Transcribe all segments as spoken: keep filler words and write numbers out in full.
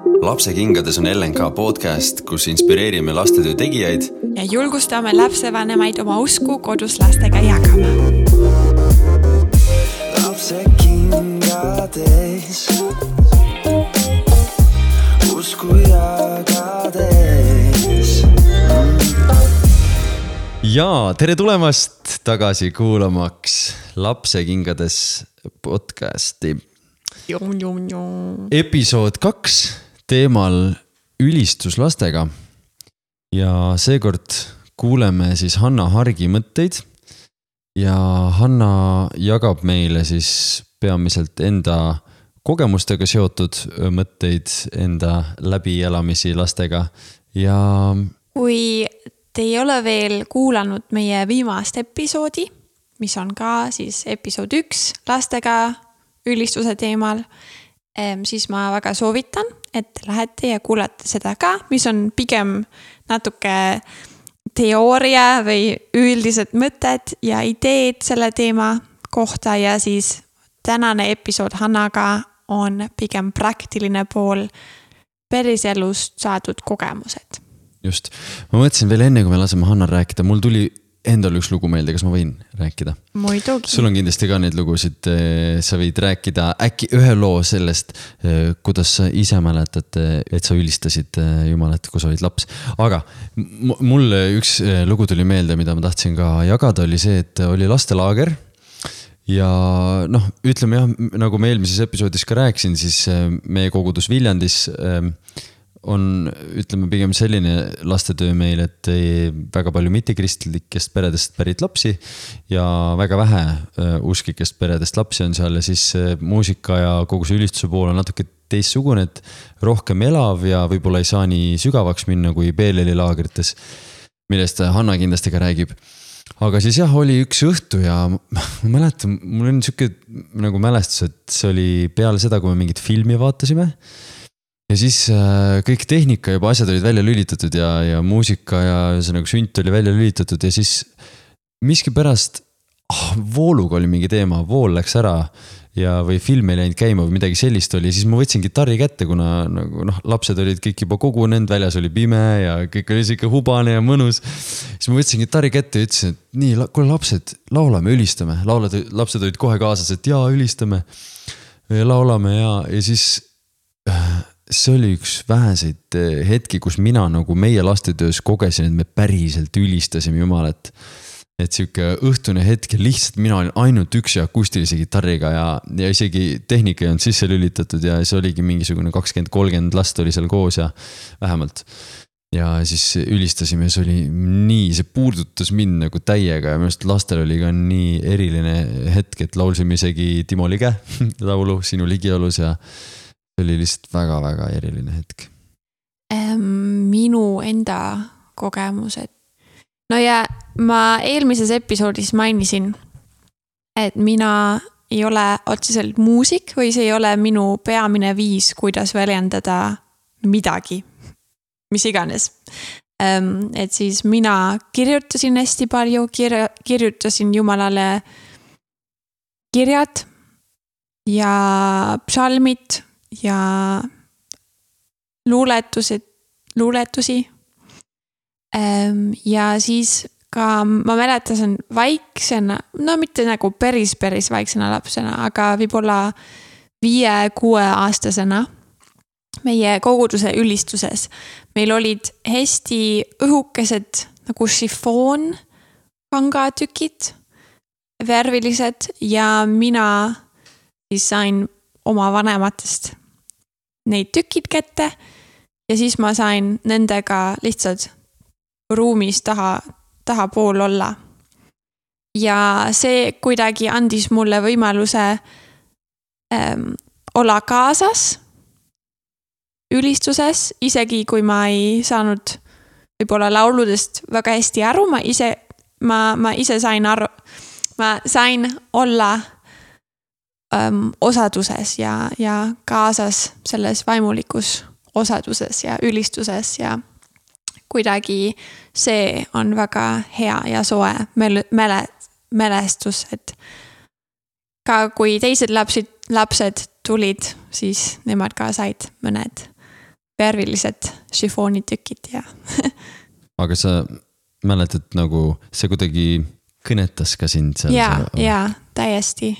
Lapsekingades on L N K podcast, kus inspireerime lastetöö tegijaid ja julgustame lapsevanemaid oma usku kodus lastega jagama. Lapsekingades usku jagades. Ja tere tulemast tagasi kuulamaks Lapsekingades podcasti. Jum, jum, jum. Episood kaks teemal ülistus lastega. Ja seekord kuuleme siis Hanna Hargi mõtteid. Ja Hanna jagab meile siis peamiselt enda kogemustega seotud mõtteid, enda läbielamisi lastega. Ja kui te ei ole veel kuulanud meie viimast episoodi, mis on ka siis episood üks lastega ülistuse teemal, siis ma väga soovitan, et lähete ja kuulate seda ka, mis on pigem natuke teooria või üldised mõtted ja ideed selle teema kohta ja siis tänane episood Hannaga on pigem praktiline pool päriselust saadud kogemused. Just. Ma mõtlesin veel enne, kui me laseme Hannal rääkida, mul tuli endal üks lugu meelde, kas ma võin rääkida? Muidugi. Sul on kindlasti ka neid lugusid, sa võid rääkida äkki ühe loo sellest, kuidas sa ise mäletad, et sa ülistasid Jumalat, kui sa olid laps. Aga mul üks lugu tuli meelde, mida ma tahtsin ka jagada, oli see, et oli lastelaager. Ja noh, ütleme jah, nagu ma eelmises episoodis ka rääksin, siis meie kogudus Viljandis on, ütleme, pigem selline lastetöö meil, et väga palju mittekristlikest peredest pärit lapsi ja väga vähe usklikest peredest lapsi on seal ja siis muusika ja kogu see ülistuse pool on natuke teistsugune, et rohkem elav ja võib-olla ei saa nii sügavaks minna kui Beeleli laagrites, millest Hanna kindlasti ka räägib. Aga siis jah, oli üks õhtu ja ma mäletan, mul on niisugune nagu mälestus, et see oli peale seda, kui me mingit filmi vaatasime. Ja siis äh, kõik tehnika juba asjad olid välja lülitatud ja, ja muusika ja see nagu sünt oli välja lülitatud ja siis miski pärast oh, vooluga oli mingi teema, vool läks ära ja, või film ei läinud käima või midagi sellist oli. Siis ma võtsin gitarri kätte, kuna nagu, noh, lapsed olid kõik juba kogunenud, väljas oli pime ja kõik oli siuke hubane ja mõnus. Siis ma võtsin gitarri kätte ja ütlesin, et nii, kuule lapsed, laulame, ülistame. Laulad, lapsed olid kohe kaasas, et jaa, ülistame. Ja laulame ja, ja siis see oli üks väheseid hetki, kus mina nagu meie lastetöös kogesin, et me päriselt ülistasime Jumalat. Et siuke õhtune hetk ja lihtsalt mina olin ainult üks ja akustilise gitarriga ja, ja isegi tehnika ei olnud sisse lülitatud ja see oligi mingisugune kakskümmend kolmkümmend last oli seal koos ja vähemalt. Ja siis ülistasime ja see oli nii, see puudutas mind nagu täiega ja minust lastel oli ka nii eriline hetk, et laulsime isegi Timo Lige laulu Sinu ligiolus ja oli lihtsalt väga-väga eriline hetk. Minu enda kogemused. No ja ma eelmises episoodis mainisin, et mina ei ole otseselt muusik või see ei ole minu peamine viis, kuidas väljendada midagi, mis iganes. Et siis mina kirjutasin hästi palju, kirja, kirjutasin Jumalale kirjad ja psalmid ja luuletused, luuletusi. Ja siis ka ma mäletasin vaiksena, no mitte nagu päris, päris vaiksena lapsena, aga võib-olla viie, kuue aastasena meie koguduse ülistuses. Meil olid hästi õhukesed nagu šifoon kangatükid, värvilised ja mina siis sain oma vanematest neid tükid kätte ja siis ma sain nendega lihtsalt ruumis taha, taha pool olla. Ja see kuidagi andis mulle võimaluse ähm, olla kaasas ülistuses, isegi kui ma ei saanud võib-olla lauludest väga hästi aru, ma ise, ma, ma ise sain aru, ma sain olla Um, osaduses ja, ja kaasas selles vaimulikus osaduses ja ülistuses ja kuidagi see on väga hea ja soe mäle, mälestus, et ka kui teised lapsid, lapsed tulid, siis nemad ka said mõned värvilised šifoonitükid ja aga sa mäletad nagu see kuidagi kõnetas ka sind seal? Jaa, jaa, täiesti.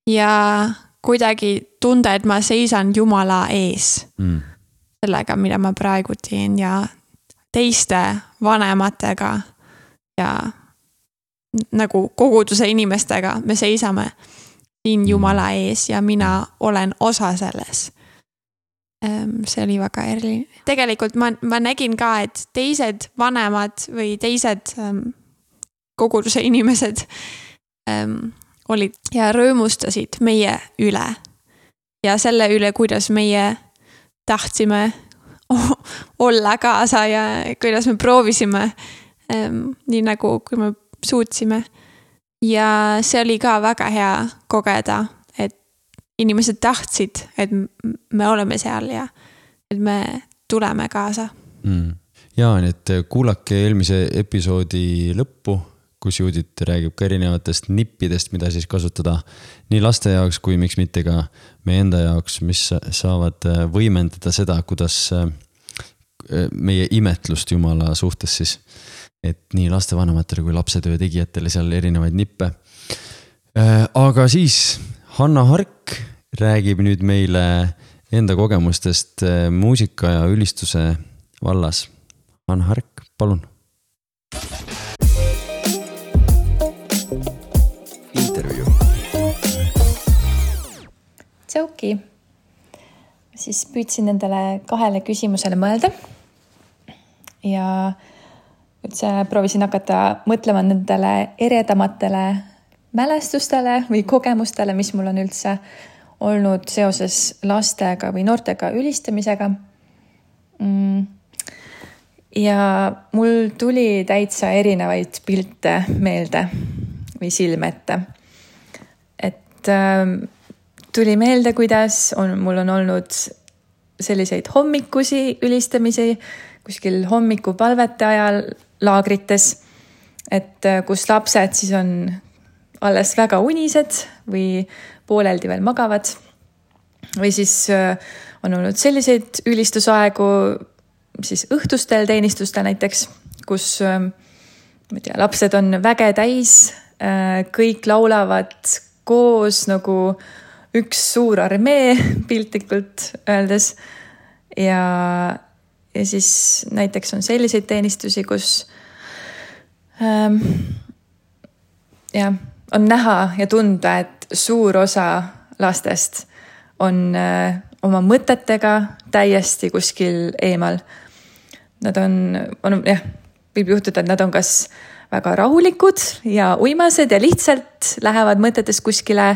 Ja kuidagi tunda, et ma seisan Jumala ees mm. sellega, mida ma praegu teen ja teiste vanematega ja nagu koguduse inimestega me seisame siin Jumala ees ja mina olen osa selles. See oli väga eriline. Tegelikult ma, ma nägin ka, et teised vanemad või teised um, koguduse inimesed um, olid ja rõõmustasid meie üle. Ja selle üle, kuidas meie tahtsime olla kaasa ja kuidas me proovisime um, nii nagu, kui me suutsime. Ja see oli ka väga hea kogeda, et inimesed tahtsid, et me oleme seal ja et me tuleme kaasa. Mm. Jaa, nii et kuulake eelmise episoodi lõppu, kus Judit räägib ka erinevatest nippidest, mida siis kasutada nii laste jaoks kui miks mitte ka meie enda jaoks, mis saavad võimendada seda, kuidas meie imetlust Jumala suhtes siis. Et nii lastevanematele kui lapsetöö tegijatele seal erinevaid nippe. Aga siis Hanna Hark räägib nüüd meile enda kogemustest muusika ja ülistuse vallas. Hanna Hark, palun. Intervju. Tšauki. Siis püüdsin endale kahele küsimusele mõelda ja üldse proovisin hakata mõtlema nendele eredamatele mälestustele või kogemustele, mis mul on üldse olnud seoses lastega või noortega ülistamisega. Ja mul tuli täitsa erinevaid pilte meelde või silme ette. Et äh, tuli meelde, kuidas on, mul on olnud selliseid hommikusi ülistamisi kuskil hommikupalvete ajal laagrites, et kus lapsed siis on alles väga unised või pooleldi veel magavad. Või siis on olnud selliseid ülistusaegu siis õhtustel teenistustel näiteks, kus ma tea, lapsed on väge täis, kõik laulavad koos nagu üks suur armee piltlikult öeldes. Ja, ja siis näiteks on selliseid teenistusi, kus ähm, ja, on näha ja tunda, et suur osa lastest on äh, oma mõtetega täiesti kuskil eemal. Nad on, on, jah, võib juhtuda, et nad on kas väga rahulikud ja uimased ja lihtsalt lähevad mõtetest kuskile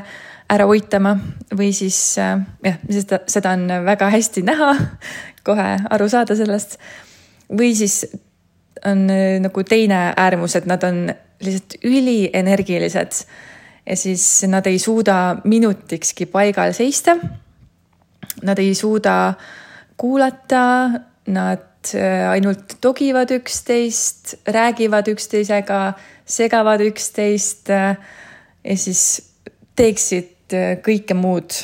ära uitama või siis, äh, jah, seda, seda on väga hästi näha, kohe aru saada sellest. Või siis on äh, nagu teine äärmus, et nad on lihtsalt ülienergilised ja siis nad ei suuda minutikski paigal seista. Nad ei suuda kuulata, nad ainult togivad üksteist, räägivad üksteisega, segavad üksteist ja siis teeksid kõike muud,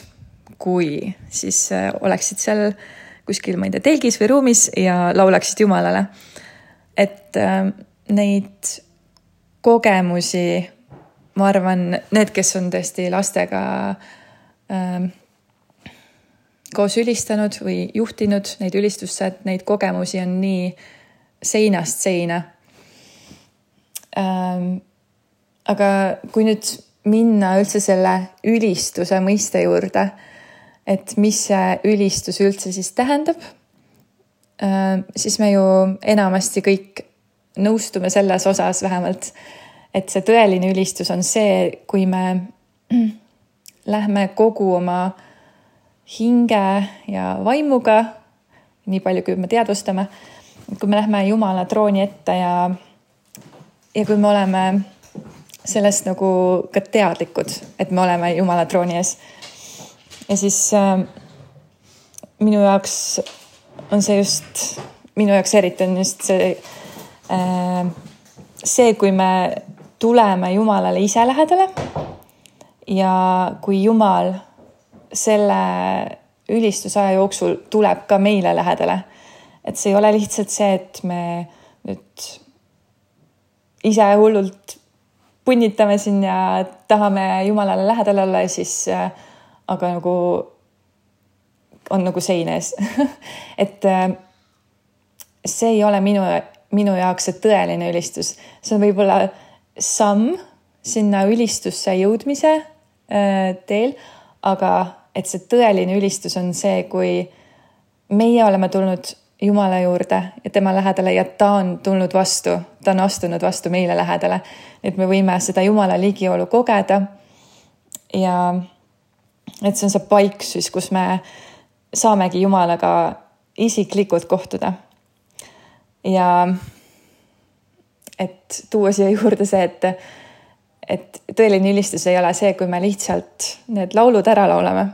kui siis oleksid seal kuskil, ma ei tea, telgis või ruumis ja laulaksid Jumalale. Et neid kogemusi, ma arvan, need, kes on tõesti lastega äh, koos ülistanud või juhtinud neid ülistusse, et neid kogemusi on nii seinast seina. Äh, aga kui nüüd minna üldse selle ülistuse mõiste juurde, et mis see ülistus üldse siis tähendab, äh, siis me ju enamasti kõik nõustume selles osas vähemalt, et see tõeline ülistus on see, kui me lähme kogu oma hinge ja vaimuga, nii palju kui me teadvustame, kui me lähme Jumala trooni ette ja, ja kui me oleme sellest nagu ka teadlikud, et me oleme Jumala trooni ees. Ja siis äh, minu jaoks on see just, minu jaoks eriti on just see see, kui me tuleme Jumalale ise lähedale ja kui Jumal selle ülistusaja jooksul tuleb ka meile lähedale. Et see ei ole lihtsalt see, et me nüüd ise hullult punnitame siin ja tahame Jumalale lähedal olla ja siis aga nagu on nagu seines. et see ei ole minu, minu jaoks see tõeline ülistus. See on võib-olla samm sinna ülistusse jõudmise teel, aga et see tõeline ülistus on see, kui meie oleme tulnud Jumala juurde ja tema lähedale ja ta on tulnud vastu, ta on astunud vastu meile lähedale. Et me võime seda Jumala ligiolu kogeda ja et see on see paik siis, kus me saamegi Jumalaga isiklikult kohtuda. Ja et tuua siia juurde see, et, et tõeline ülistus ei ole see, kui me lihtsalt need laulud ära laulame.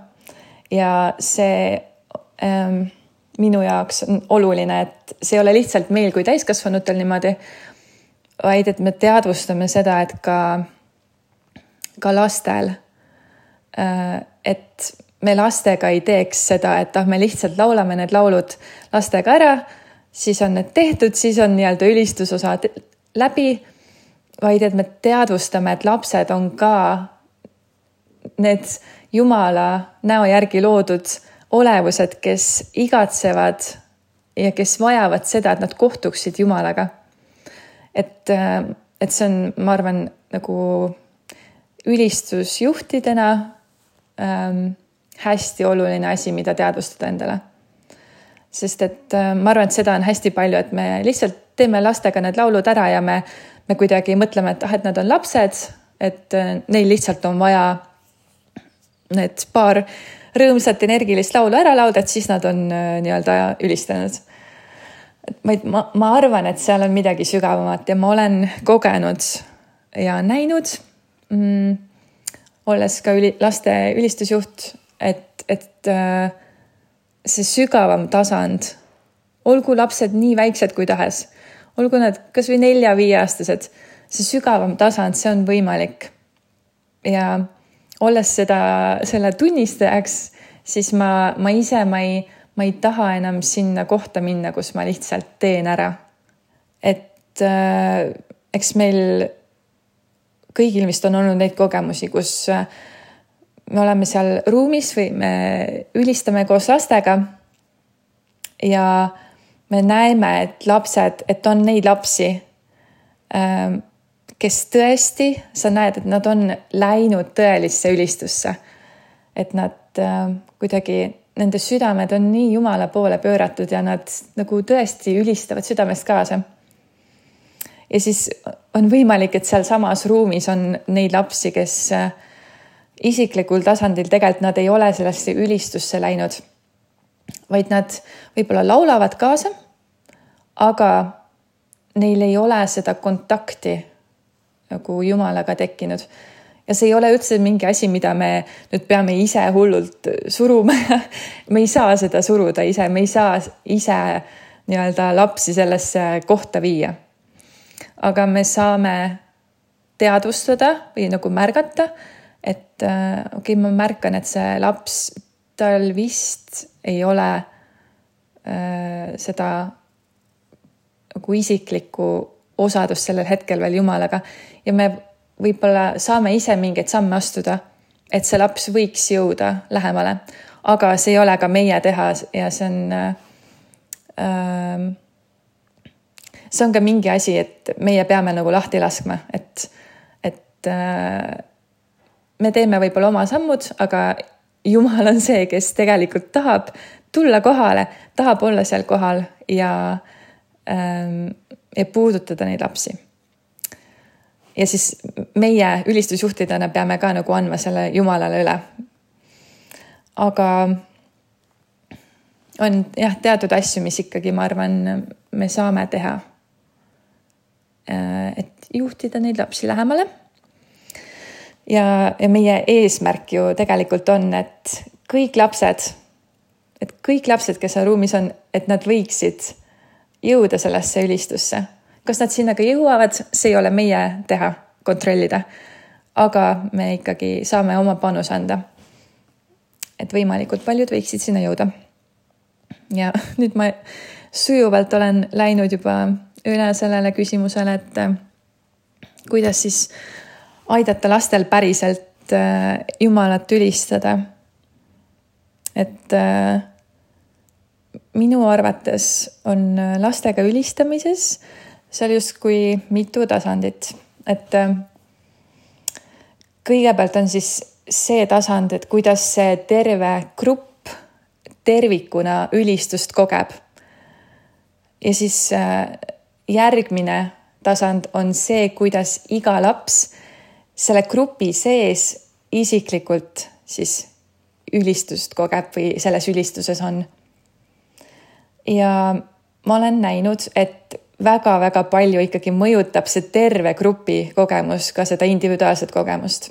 Ja see ähm, minu jaoks on oluline, et see ei ole lihtsalt meil kui täiskasvanutel niimoodi, vaid et me teadvustame seda, et ka, ka lastel, et me lastega ei teeks seda, et ah, me lihtsalt laulame need laulud lastega ära, siis on need tehtud, siis on nii-öelda ülistusosa läbi, vaid et me teadvustame, et lapsed on ka need Jumala näo järgi loodud olevused, kes igatsevad ja kes vajavad seda, et nad kohtuksid Jumalaga. Et, et see on, ma arvan, nagu ülistusjuhtidena ähm, hästi oluline asi, mida teadvustada endale. Sest et äh, ma arvan, et seda on hästi palju, et me lihtsalt teeme lastega need laulud ära ja me, me kuidagi mõtleme, et, ah, et nad on lapsed, et äh, neil lihtsalt on vaja need paar rõõmsat energilist laulu ära laulda, et siis nad on äh, nii-öelda ülistanud. Ma, ma arvan, et seal on midagi sügavamat ja ma olen kogenud ja näinud, mm, olles ka üli, laste ülistusjuht, et, et äh, see sügavam tasand, olgu lapsed nii väiksed kui tahes, olgu nad kas või nelja-viieaastased, see sügavam tasand, see on võimalik. Ja olles seda, selle tunnistajaks, siis ma, ma ise, ma ei, ma ei taha enam sinna kohta minna, kus ma lihtsalt teen ära. Et äh, eks meil kõigil vist on olnud neid kogemusi, kus äh, me oleme seal ruumis või me ülistame koos lastega ja me näeme, et lapsed, et on neid lapsi, äh, kes tõesti, sa näed, et nad on läinud tõelisse ülistusse. Et nad äh, kuidagi, nende südamed on nii Jumala poole pööratud ja nad nagu tõesti ülistavad südamest kaasa. Ja siis on võimalik, et seal samas ruumis on neid lapsi, kes äh, isiklikul tasandil tegelikult nad ei ole sellesse ülistusse läinud, vaid nad võib-olla laulavad kaasa, aga neil ei ole seda kontakti nagu Jumalaga tekkinud. Ja see ei ole üldse mingi asi, mida me nüüd peame ise hullult suruma. Me ei saa seda suruda ise, me ei saa ise nii-öelda lapsi sellesse kohta viia. Aga me saame teadvustada või nagu märgata, et okei, okay, ma märkan, et see laps, tal vist ei ole äh, seda nagu isiklikku osadus sellel hetkel veel Jumalaga ja me võib-olla saame ise mingeid samme astuda, et see laps võiks jõuda lähemale, aga see ei ole ka meie teha ja see on äh, see on ka mingi asi, et meie peame nagu lahti laskma, et, et äh, me teeme võib-olla oma sammud, aga Jumal on see, kes tegelikult tahab tulla kohale, tahab olla seal kohal ja äh, ja puudutada neid lapsi. Ja siis meie ülistusjuhtidena peame ka nagu andma selle Jumalale üle. Aga on jah, teatud asju, mis ikkagi, ma arvan, me saame teha. Et juhtida neid lapsi lähemale. Ja, ja meie eesmärk ju tegelikult on, et kõik lapsed, et kõik lapsed, kes on ruumis on, et nad võiksid jõuda sellesse ülistusse. Kas nad sinna ka jõuavad, see ei ole meie teha, kontrollida. Aga me ikkagi saame oma panus anda. et võimalikult paljud võiksid sinna jõuda. Ja nüüd ma sujuvalt olen läinud juba üle sellele küsimusele, et kuidas siis aidata lastel päriselt Jumalat ülistada. Et minu arvates on lastega ülistamises seal justkui mitu tasandit. Et kõigepealt on siis see tasand, et kuidas see terve grupp tervikuna ülistust kogeb. Ja siis järgmine tasand on see, kuidas iga laps selle grupi sees isiklikult siis ülistust kogeb või selles ülistuses on. Ja ma olen näinud, et väga-väga palju ikkagi mõjutab see terve grupi kogemus ka seda individuaalset kogemust.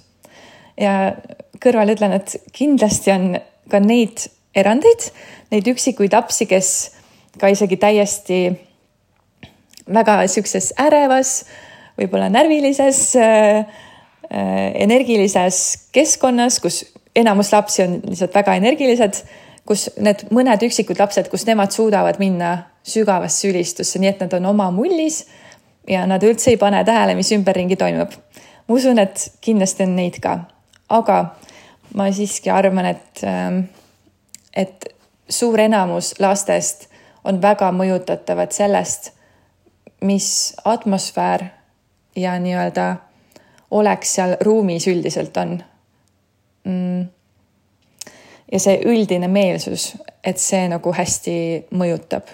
Ja kõrval ütlen, et kindlasti on ka neid erandeid, neid üksikuid lapsi, kes ka isegi täiesti väga siukses ärevas, võib-olla närvilises, energilises keskkonnas, kus enamus lapsi on lihtsalt väga energilised, kus need mõned üksikud lapsed, kus nemad suudavad minna sügavasse ülistusse, nii et nad on oma mullis ja nad üldse ei pane tähele, mis ümberringi toimub. Ma usun, et kindlasti on neid ka. Aga ma siiski arvan, et, et suur enamus lastest on väga mõjutatavad sellest, mis atmosfäär ja nii-öelda oleks seal ruumis üldiselt on. Ja see üldine meelsus, et see nagu hästi mõjutab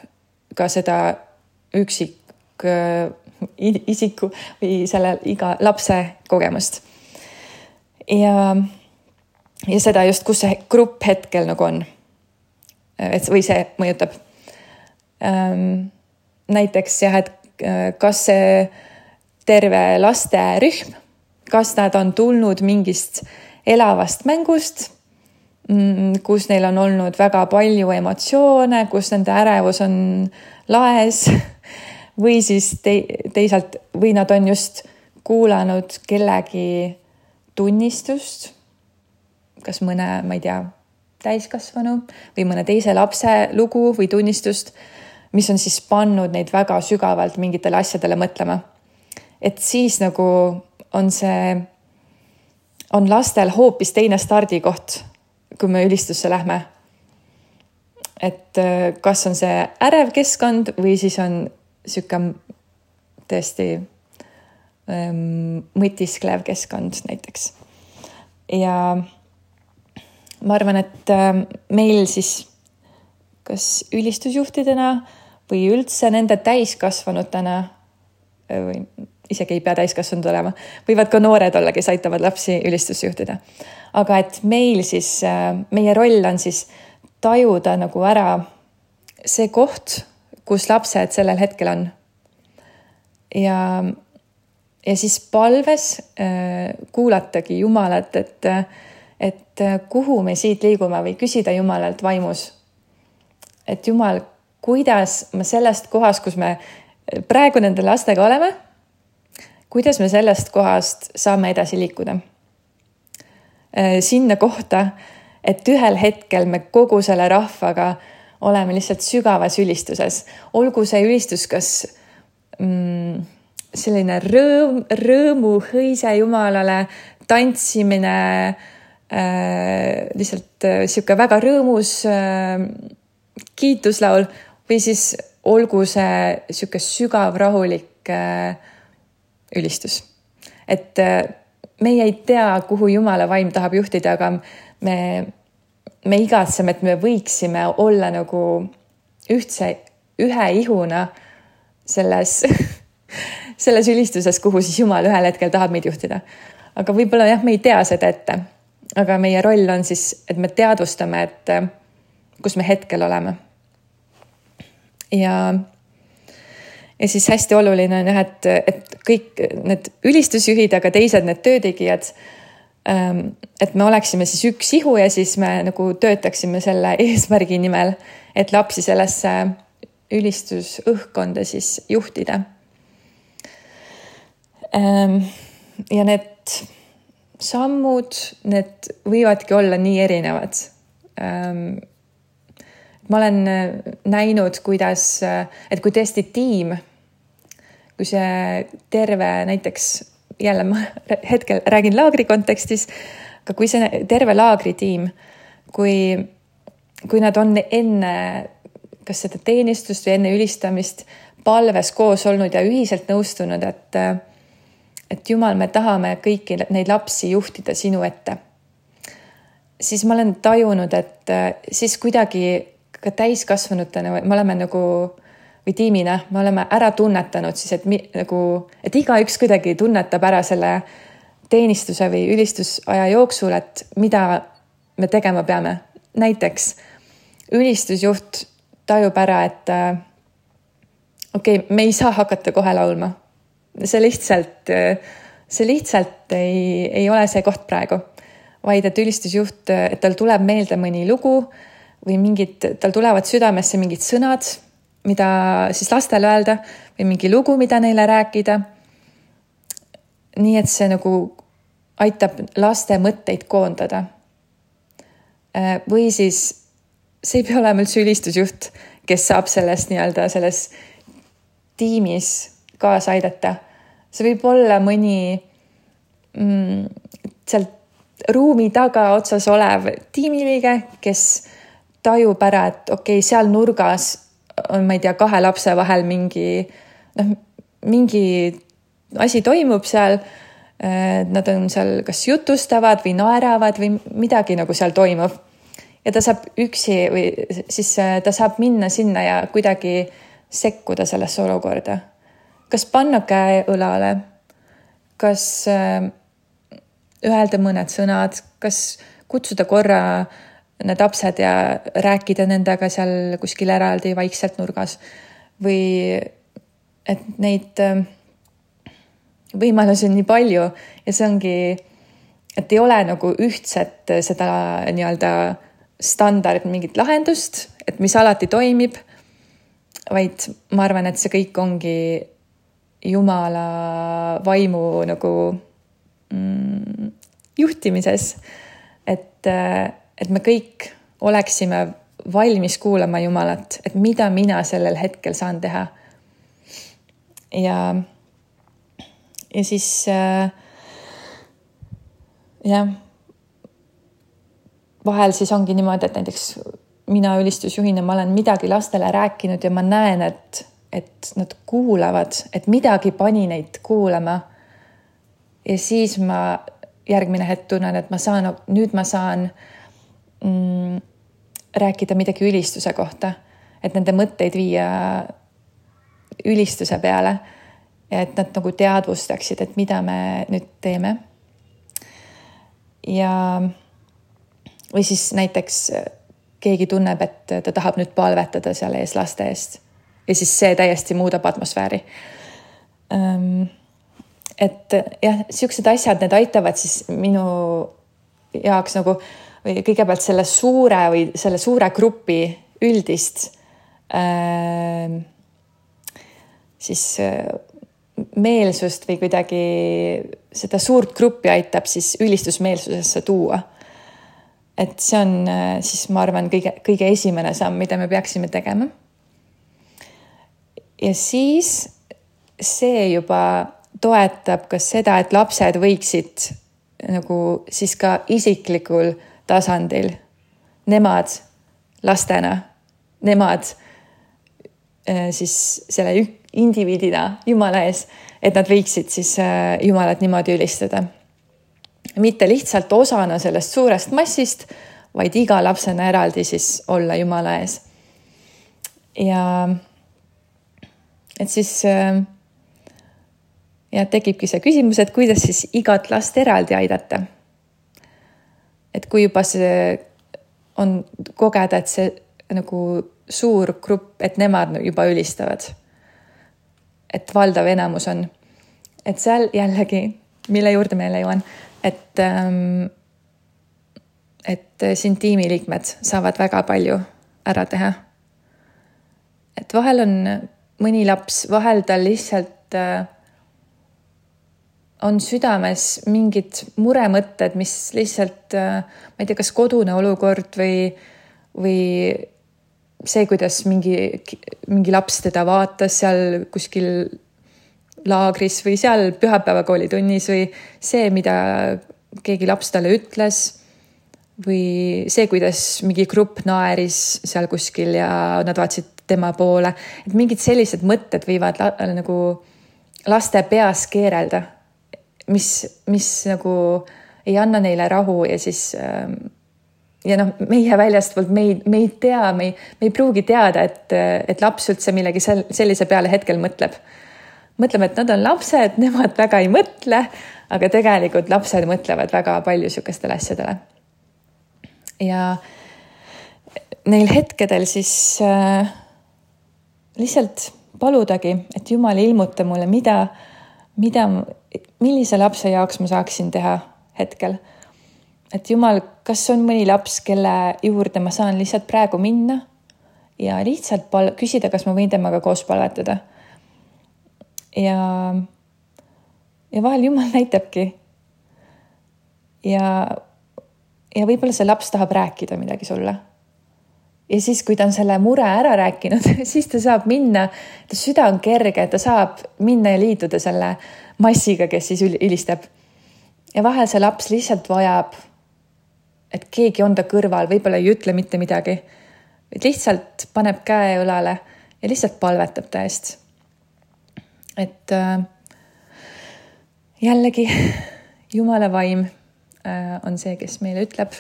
ka seda üksik isiku või selle iga lapse kogemust. Ja, ja seda just, kus see grupp hetkel nagu on. Et, või see mõjutab. Näiteks jah, et kas see terve laste rühm, kas nad on tulnud mingist elavast mängust, kus neil on olnud väga palju emotsioone, kus nende ärevus on laes või siis te, teisalt, või nad on just kuulanud kellegi tunnistust, kas mõne, ma ei tea, täiskasvanu või mõne teise lapse lugu või tunnistust, mis on siis pannud neid väga sügavalt mingitele asjadele mõtlema. Et siis nagu on see, on lastel hoopis teine stardikoht, kui me ülistusse lähme. Et kas on see ärev keskkond või siis on siuke tõesti mõtisklev keskkond näiteks. Ja ma arvan, et meil siis kas ülistusjuhtidena või üldse nende täiskasvanutena, või isegi ei pea täiskasvanud olema, võivad ka noored olla, kes aitavad lapsi ülistusjuhtida. Aga et meil siis, meie roll on siis tajuda nagu ära see koht, kus lapsed sellel hetkel on. Ja, ja siis palves kuulatagi Jumalat, et, et kuhu me siit liigume või küsida Jumalalt vaimus. Et Jumal, kuidas me sellest kohast, kus me praegu nende lastega oleme, kuidas me sellest kohast saame edasi liikuda. Sinna kohta, et ühel hetkel me kogu selle rahvaga oleme lihtsalt sügavas ülistuses. Olgu see ülistus, kas mm, selline rõõm, rõõmu hõise Jumalale, tantsimine, äh, lihtsalt äh, siuke väga rõõmus äh, kiituslaul või siis olgu see siuke sügav rahulik äh, ülistus. Et äh, meie ei tea, kuhu Jumala vaim tahab juhtida, aga me, me igatseme, et me võiksime olla nagu ühtse, ühe ihuna selles, selles ülistuses, kuhu siis Jumal ühel hetkel tahab meid juhtida. Aga võib-olla jah, me ei tea seda ette. Aga meie roll on siis, et me teadvustame, et kus me hetkel oleme. Ja, ja siis hästi oluline on jah, et, et kõik need ülistusjuhid, aga teised need töötegijad, et me oleksime siis üks ihu ja siis me nagu töötaksime selle eesmärgi nimel, et lapsi sellesse ülistusõhkkonda siis juhtida. Ja need sammud, need võivadki olla nii erinevad. ähm, ma olen näinud, kuidas, et kui tõesti tiim, kui see terve näiteks, jälle ma hetkel räägin laagri kontekstis, aga kui see terve laagritiim, kui, kui nad on enne kas seda teenistust või enne ülistamist palves koos olnud ja ühiselt nõustunud, et et Jumal, me tahame kõiki neid lapsi juhtida sinu ette. Siis ma olen tajunud, et siis kuidagi ka täiskasvanutena me oleme nagu, või tiimina, me oleme ära tunnetanud siis, et, mi, nagu, et igaüks kuidagi tunnetab ära selle teenistuse või ülistusaja jooksul, et mida me tegema peame. Näiteks ülistusjuht tajub ära, et okei, okay, me ei saa hakata kohe laulma. See lihtsalt, see lihtsalt ei, ei ole see koht praegu, vaid et ülistusjuht, et tal tuleb meelde mõni lugu või mingid, tal tulevad südamesse mingid sõnad, mida siis lastele öelda või mingi lugu, mida neile rääkida. Nii et see nagu aitab laste mõtteid koondada. Või siis see ei pea olema üldse ülistusjuht, kes saab sellest nii-öelda selles tiimis kaasa aidata. See võib olla mõni mm, sealt ruumi taga otsas olev tiimiliige, kes tajub ära, et okei, okay, seal nurgas on, ma ei tea, kahe lapse vahel mingi, noh, mingi asi toimub seal. Nad on seal kas jutustavad või naeravad või midagi nagu seal toimub. Ja ta saab üksi või siis ta saab minna sinna ja kuidagi sekkuda sellesse olukorda. Kas panna käe õlale, kas öelda mõned sõnad, kas kutsuda korra need lapsed ja rääkida nendega seal kuskil eraldi vaikselt nurgas või et neid võimalusi on nii palju ja see ongi, et ei ole nagu ühtset seda nii-öelda standard mingit lahendust, et mis alati toimib, vaid ma arvan, et see kõik ongi Jumala vaimu nagu mm, juhtimises, et, et me kõik oleksime valmis kuulama Jumalat, et mida mina sellel hetkel saan teha. Ja, ja siis äh, jah, vahel siis ongi niimoodi, et näiteks mina ülistusjuhina, ma olen midagi lastele rääkinud ja ma näen, et, et nad kuulavad, et midagi pani neid kuulama. Ja siis ma järgmine hetk tunnen, et ma saan, nüüd ma saan mm, rääkida midagi ülistuse kohta, et nende mõtteid viia ülistuse peale ja et nad nagu teadvustaksid, et mida me nüüd teeme. Ja või siis näiteks keegi tunneb, et ta tahab nüüd palvetada seal ees laste eest ja siis see täiesti muudab atmosfääri. Et jah, siuksed asjad, need aitavad siis minu jaoks nagu või kõigepealt selle suure või selle suure grupi üldist äh, siis meelsust või kuidagi seda suurt gruppi aitab siis ülistusmeelsusesse tuua. Et see on siis, ma arvan, kõige, kõige esimene samm, mida me peaksime tegema. Ja siis see juba toetab ka seda, et lapsed võiksid nagu siis ka isiklikul tasandil, nemad lastena, nemad siis selle indiviidina Jumala ees, et nad võiksid siis Jumalat niimoodi ülistada. Mitte lihtsalt osana sellest suurest massist, vaid iga lapsena eraldi siis olla Jumala ees. Ja et siis ja tekibki see küsimus, et kuidas siis igat last eraldi aidata. Et kui juba see on kogeda, et see nagu suur grupp, et nemad juba ülistavad. Et valdav enamus on. Et seal jällegi, mille juurde meile jõuan, et, et siin tiimiliikmed saavad väga palju ära teha. Et vahel on mõni laps, vahel tal lihtsalt on südames mingid muremõtted, mis lihtsalt, ma ei tea, kas kodune olukord või, või see, kuidas mingi, mingi laps teda vaatas seal kuskil laagris või seal pühapäevakoolitunnis või see, mida keegi laps talle ütles või see, kuidas mingi grupp naeris seal kuskil ja nad vaatasid tema poole. Et mingid sellised mõtted võivad la, nagu laste peas keerelda, mis, mis nagu ei anna neile rahu ja siis ja noh, meie väljastpoolt me ei, me ei tea, me ei, me ei pruugi teada, et, et laps üldse millegi sellise peale hetkel mõtleb. Mõtleme, et nad on lapsed, nemad väga ei mõtle, aga tegelikult lapsed mõtlevad väga palju sükestele asjadele. Ja neil hetkedel siis äh, lihtsalt paludagi, et Jumal ilmuta mulle, mida, mida, millise lapse jaoks ma saaksin teha hetkel. Et Jumal, kas on mõni laps, kelle juurde ma saan lihtsalt praegu minna ja lihtsalt pal- küsida, kas ma võin temaga koos palvetada. Ja, ja vahel Jumal näitabki. Ja, ja võib-olla see laps tahab rääkida midagi sulle. Ja siis, kui ta on selle mure ära rääkinud, siis ta saab minna, ta süda on kerge, ta saab minna ja liituda selle massiga, kes siis ülistab. Ja vahel see laps lihtsalt vajab, et keegi on ta kõrval, võib-olla ei ütle mitte midagi. Lihtsalt paneb käe õlale ja lihtsalt palvetab ta eest. Et äh, jällegi Jumala vaim äh, on see, kes meile ütleb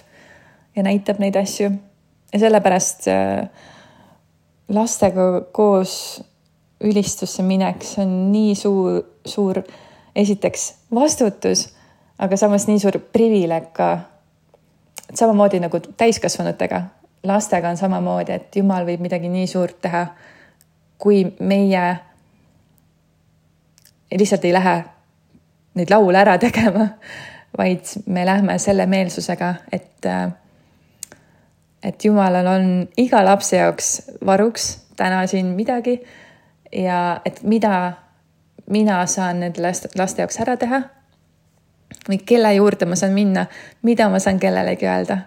ja näitab neid asju. Ja sellepärast lastega koos ülistusse mineks on nii suur, suur esiteks vastutus, aga samas nii suur privileeg ka. Samamoodi nagu täiskasvanutega. Lastega on samamoodi, et Jumal võib midagi nii suurt teha, kui meie lihtsalt ei lähe neid laule ära tegema, vaid me lähme selle meelsusega, et et Jumalal on iga lapse jaoks varuks täna siin midagi ja et mida mina saan nende laste jaoks ära teha või kelle juurde ma saan minna, mida ma saan kellelegi öelda.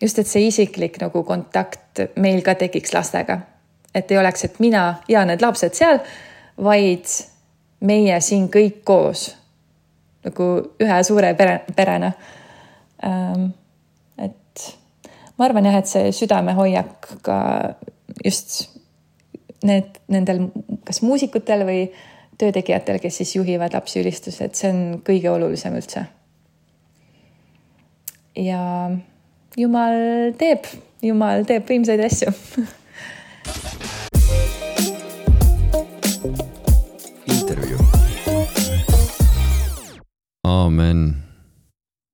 Just, et see isiklik nagu kontakt meil ka tekiks lastega. Et ei oleks, et mina ja need lapsed seal, vaid meie siin kõik koos nagu ühe suure pere, perena. Ähm, et ma arvan jah, et see südame hoiak ka just need, nendel kas muusikutel või töötegijatel, kes siis juhivad lapsi ülistus, et see on kõige olulisem üldse. Ja Jumal teeb, Jumal teeb võimsaid asju. Intervju. Aamen.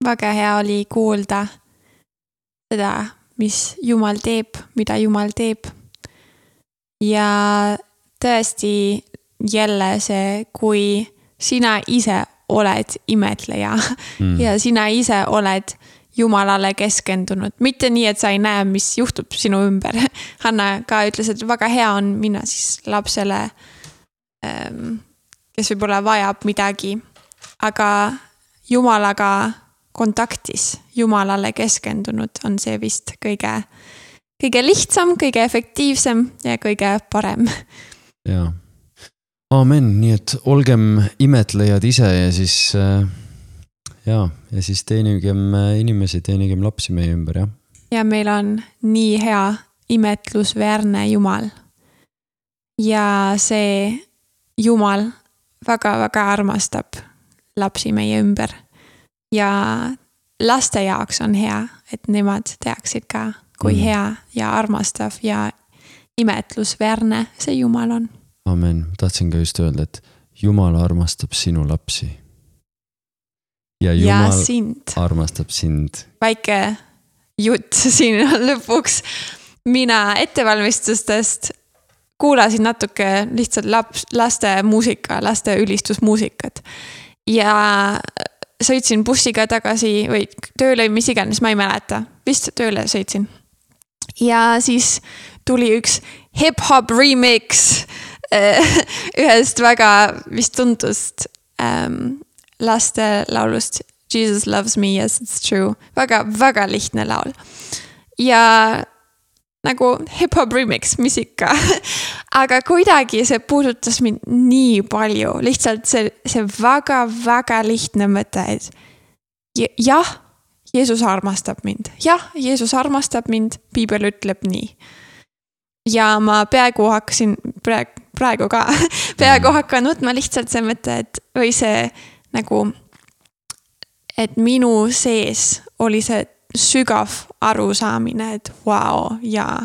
Väga hea oli kuulda seda, mis Jumal teeb, mida Jumal teeb. Ja tõesti jälle see, kui sina ise oled imetleja mm. ja sina ise oled Jumalale keskendunud. Mitte nii, et sa ei näe, mis juhtub sinu ümber. Hanna ka ütles, et väga hea on minna siis lapsele, kes võib-olla vajab midagi, aga Jumalaga kontaktis, Jumalale keskendunud on see vist kõige, kõige lihtsam, kõige efektiivsem ja kõige parem. Jaa. Aamen, nii et olgem imetlejad ise ja siis... Ja, ja siis teenigem inimesi, teenigem lapsi meie ümber, jah. Ja meil on nii hea imetlusväärne Jumal. Ja see Jumal väga-väga armastab lapsi meie ümber. Ja laste jaoks on hea, et nemad teaksid ka, kui mm. hea ja armastav ja imetlusväärne see Jumal on. Amen. Tahtsin ka just öelda, et Jumal armastab sinu lapsi. Ja Jumal ja sind. Armastab sind. Väike jutt siin lõpuks. Mina ettevalmistustest kuulasin natuke lihtsalt laps, laste muusika, laste ülistusmuusikat. Ja sõitsin bussiga tagasi või tööle, mis iganes, ma ei mäleta. Vist tööle sõitsin. Ja siis tuli üks hip-hop remix ühest väga vist tuntust ähm, laste laulust Jesus loves me, yes it's true. Väga, väga lihtne laul. Ja nagu hip-hop remix, mis ikka. Aga kuidagi see puudutas mind nii palju. Lihtsalt see, see väga, väga lihtne mõte, et jah, Jeesus armastab mind. Jah, Jeesus armastab mind, Piibel ütleb nii. Ja ma peaaegu hakkasin, praegu, praegu ka, peaaegu hakkan võtma lihtsalt see mõte, et või see nagu, et minu sees oli see sügav arusaamine, et vau, jaa,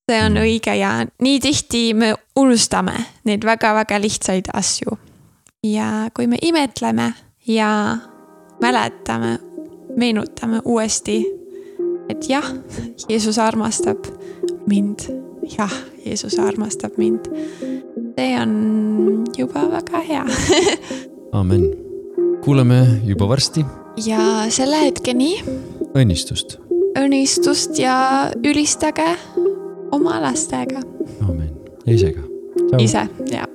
see on õige ja nii tihti me unustame neid väga-väga lihtsaid asju. Ja kui me imetleme ja mäletame, meenutame uuesti, et jah, Jeesus armastab mind. Jah, Jeesus armastab mind. See on juba väga hea. Amen. Kuuleme juba varsti. Ja selle hetkeni õnnistust. Õnnistust ja ülistage oma lastega. Amen. Ja ise ka. Ciao. Ise, jah.